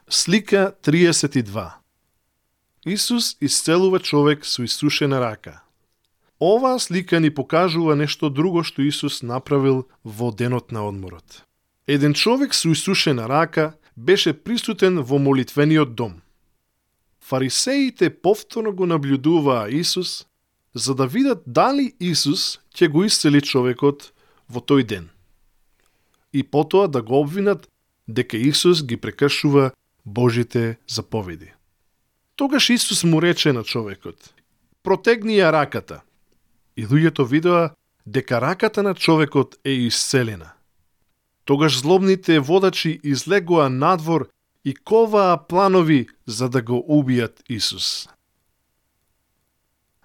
Слика 32. Исус исцелува човек со исушена рака. Оваа слика ни покажува нешто друго што Исус направил во денот на одморот. Еден човек со исушена рака беше присутен во молитвениот дом. Фарисеите повторно го наблюдуваа Исус, за да видат дали Исус ќе го исцели човекот во тој ден. И потоа да го обвинат дека Исус ги прекршува Божите заповеди. Тогаш Исус му рече на човекот: "Протегни ја раката." И луѓето видоа дека раката на човекот е исцелена. Тогаш злобните водачи излегоа надвор и коваа планови за да го убијат Исус.